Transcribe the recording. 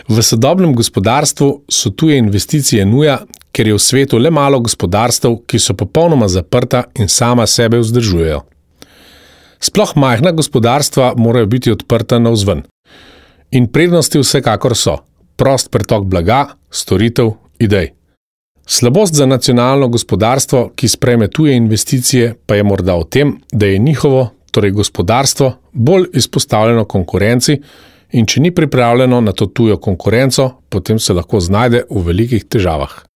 V sodobnem gospodarstvu so tuje investicije nuja, ker je v svetu le malo gospodarstev, ki so popolnoma zaprta in sama sebe vzdržujejo. Sploh majhna gospodarstva morajo biti odprta navzven. In prednosti vsekakor so prost pretok blaga, storitev, idej. Slabost za nacionalno gospodarstvo, ki sprejme tuje investicije, pa je morda v tem, da je njihovo, torej gospodarstvo, bolj izpostavljeno konkurenci in če ni pripravljeno na to tujo konkurenco, potem se lahko znajde v velikih težavah.